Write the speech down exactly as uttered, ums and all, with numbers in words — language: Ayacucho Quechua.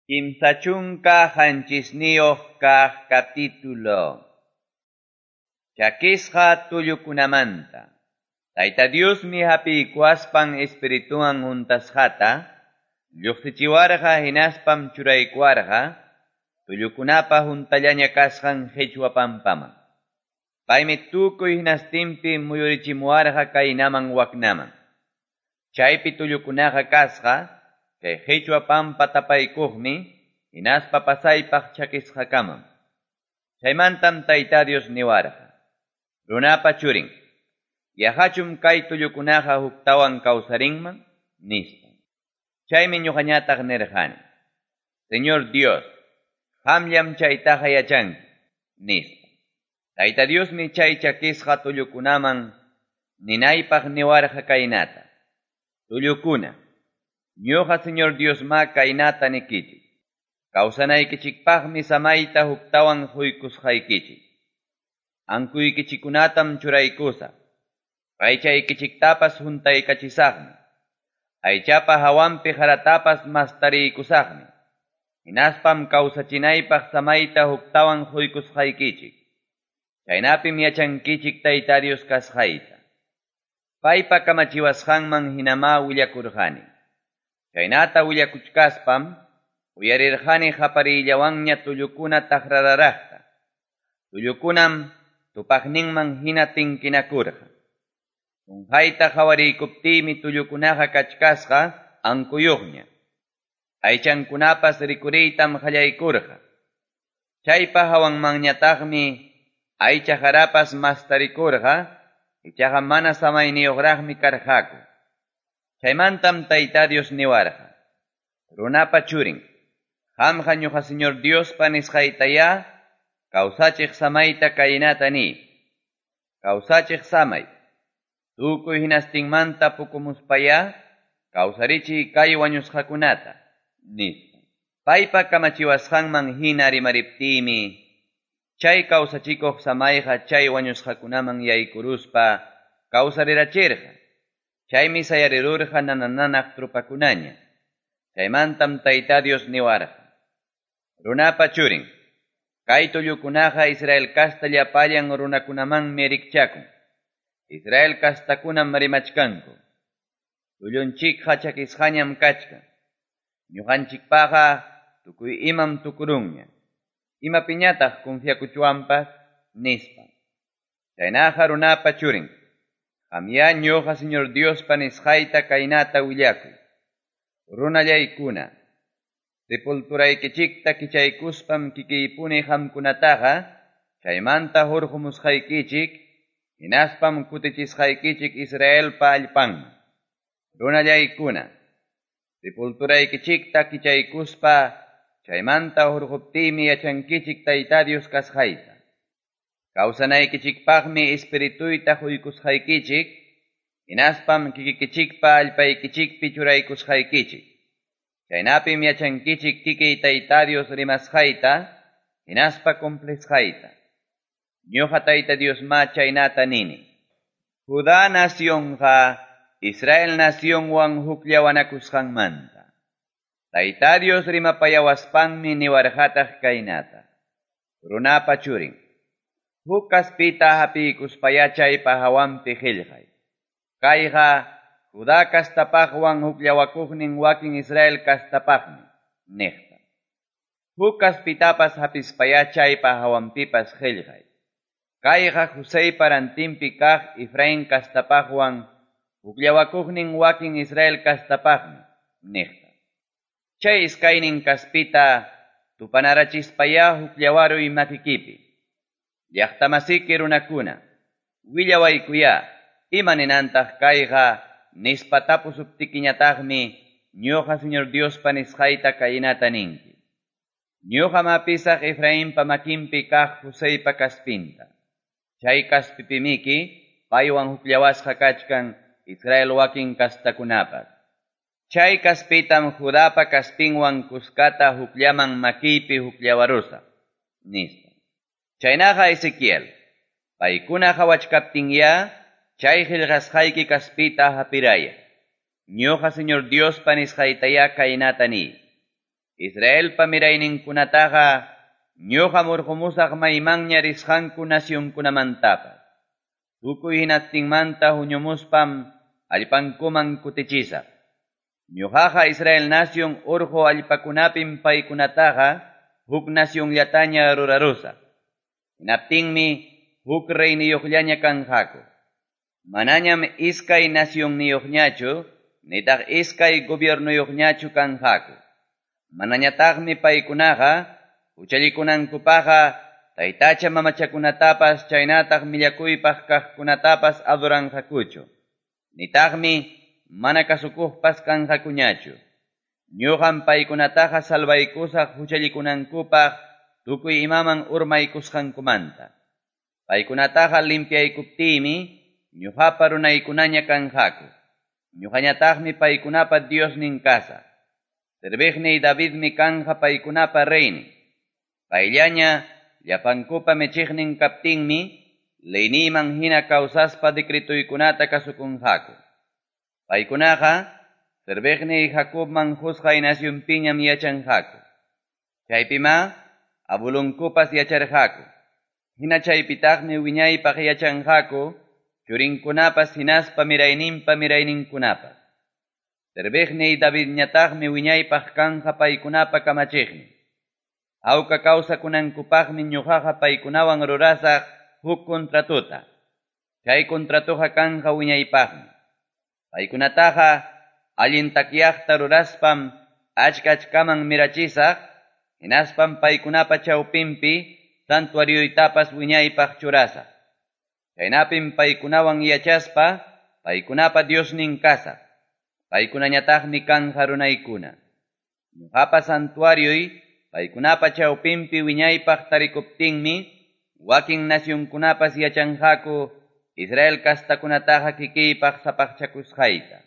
Kimsa chunka qanchisniyuq kaq capítulo. Chakisqa tullukunamanta. Tayta Diosmi hapiykuwaspan espirituwan huntasqata, lluqsichiwarqa hinaspam churaykuwarqa, tullukunapa huntallaña kasqan qichwa pampaman. Paymi tukuy hinastinpi muyurichimuwarqa kaynaman waknaman. Chaypi tullukunaqa kasqa, chay qichwa pampa tapaykuqmi, hinaspa pasaypaq chakisqakamam. Chaymantam Tayta Dios niwarqa. Runapa churin, yaqachum kay tullukunaqa huktawan kawsarinman, nispa. Chaymi ñuqañataq nirqani. Señor Dios, qamllam chaytaqa yachanki, nispa. Tayta Diosmi chay chakisqa tullukunaman ninaypaq niwarqa kaynata. Tullukuna, ñuqa Señor Diosma kaynata nikichik. Kawsanaykichikpaqmi samayta huktawan huykusqaykichik. Ankuykichikunatam churaykusaq. Aychaykichiktapas huntaykachisaqmi. Aychapa hawanpi haratapas mastariykusaqmi. Hinaspam kawsachinaypaq samayta huktawan huykusqaykichik. Chaynapim yachankichik Tayta Dios kasqayta. Paypa kamachiwasqanman hinama willakurqani. Chaynata willakuchkaspam uyarirqani qapariyllawanña tullukuna taqrararaqta. Tullukunam tupaqninman hina tinkinakurqa. Qunqayta qhawariykuptiymi tullukunaqa kachkasqa ankuyuqña. Aychankunapas rikuriytam qallaykurqa. Chaypa hawanmanñataqmi aycha harapas mastarikurqa, ichaqa mana samayniyuqraqmi karqaku. Chaymantam Tayta Dios niwarqa. Runapa churin, qamqa ñuqa Señor Diospa nisqaytaya, kawsachiq samayta kaynata ni. Kawsachiq samay, tukuy hinastinmanta pukumuspaya, kawsarichiy kay wañusqakunata, nispa. Paypa kamachiwasqanman hina rimariptiymi, chay kawsachikuq samayqa chay wañusqakunaman yaykuruspa kawsarirachirqa. Chaymi sayarirurqa nanananaq trupakunaña. Chaymantam Tayta Dios niwarqa. Runapa churin, kay tullukunaqa Israel kasta llapallan runakunamanmi rikchakun. Israel kastakunam rimachkanku. Tullunchikqa chakisqañam kachkan. Ñuqanchikpaqa tukuy imam tukurunña. Imapiñataq confiakuchuanpas, nispa. Chaynaqa runapa churin, qamya ñuqa Señor Diospa nisqayta kaynata willakuy. Runallaykuna, sepulturaykichikta kichaykuspam kikiypuni qamkunataqa, chaymanta hurqumusqaykichik, hinaspam kutichisqaykichik Israelpa allpanman. Runallaykuna, sepulturaykichikta kichaykuspa, chaymanta hurquptiymi yachankichik Tayta Dios kasqayta. Kawsanaykichikpaqmi espirituyta huykusqaykichik, hinaspam kikikichikpa allpaykichikpi churaykusqaykichik. Chaynapim yachankichik kikiy Tayta Dios rimasqayta, hinaspa cumplisqayta. Ñuqa Tayta Diosma chaynata nini. Judá nacionqa Israel nacionwan hukllawanakusqanmanta. Tayta Dios rimapayawaspanmi niwarqataq kaynata. Runapa churin, huk kaspita hapiykuspaya chaypa hawanpi qillqay. Kayqa Judá kastapaqwan hukllawakuqnin wakin Israel kastapaqmi, niqta. Huk kaspitapas hapispaya chaypa hawanpipas qillqay. Kayqa Joseypa rantinpi kaq Efraín kastapaqwan hukllawakuqnin wakin Israel kastapaqmi, niqta. Chay iskaynin kaspita tupanarachispaya hukllawaruy makikipi. Llaqtamasiki runakuna, willawaykuya, ima ninantaq kayqa nispa tapusuptikiñataqmi ñuqa Señor Diospa nisqayta kaynata ninki. Ñuqa mapisaq Efrainpa makinpi kaq Joseypa kaspinta. Chay kaspipimiki paywan hukllawasqa kachkan Israel wakin kastakunapas. Chay kaspitam Judapa kaspinwan kuskata hukllaman makiypi hukllawarusaq, nispa. Chaynaqa Ezequiel, paykuna qhawachkaptinya, chay qillqasqayki kaspita hapiraya. Ñuqa Señor Diospa nisqaytaya kaynata ni. Israelpa mirayninkunataqa ñoqam hurqomusaq maymanña risqanku nacionkunamantapas. Tukuy hinastinmanta huñumuspam allpankuman kutichisaq. Ñoqaqa Israel nacion orqo allpakunapim paykunataqa huk nacionllataña rurarusaq. Hinaptinmi huk reyniyuqllaña kanqaku. Manañam iskay nacionniyuqñachu, nitaq iskay gobiernuyuqñachu kanqaku. Manañataqmi paykunaqa huchallikunankupaqqa taytacha mamachakunatapas chaynataq millakuypaq kaqkunatapas adoranqakuchu. Nitaqmi mana kasukuqpas kanqakuñachu. Ñuqam paykunataqa salvaykusaq huchallikunankupaq tukuy imaman urmaykusqankumanta. Paykunataqa limpiaykuptiymi ñuqapa runaykunaña kanqaku. Ñuqañataqmi paykunapa Diosnin kasaq. Serviqniy Davidmi kanja paykunapa reynin. Payllaña llapankupa michiqnin kaptinmi leyniyman hina kawsaspa decretuykunata kasukunqaku. Paykunaqa serviqniy Jacobman qusqay nacionpiñam yachanqaku. Chaypimá abulunkupas yacharqaku. Hina chaypitaqmi wiñaypaq yachanqaku churinkunapas hinaspa mirayninpa mirayninkunapas. Serviqniy Davidñataqmi wiñaypaq kanja paykunapa kamachiqnin. Hawka kawsakunankupaqmi ñuqaqa paykunawan rurasaq huk contratuta. Chay contratuqa kanja wiñaypaqmi. Paykunataqa allin takyaqta ruraspam achka achkaman mirachisaq, hinaspam paykunapa chawpinpi santuarioytapas wiñaypaq churasaq. Chaynapim paykunawan yachaspa paykunapa Diosnin kasaq. Paykunañataqmi kanja runaykuna. Ñuqapa santuarioy paykunapa chawpinpi wiñaypaq tarikuptinmi wakin nacionkunapas yachanqaku Israel kastakunataqa kikiypaq sapaqchakusqayta.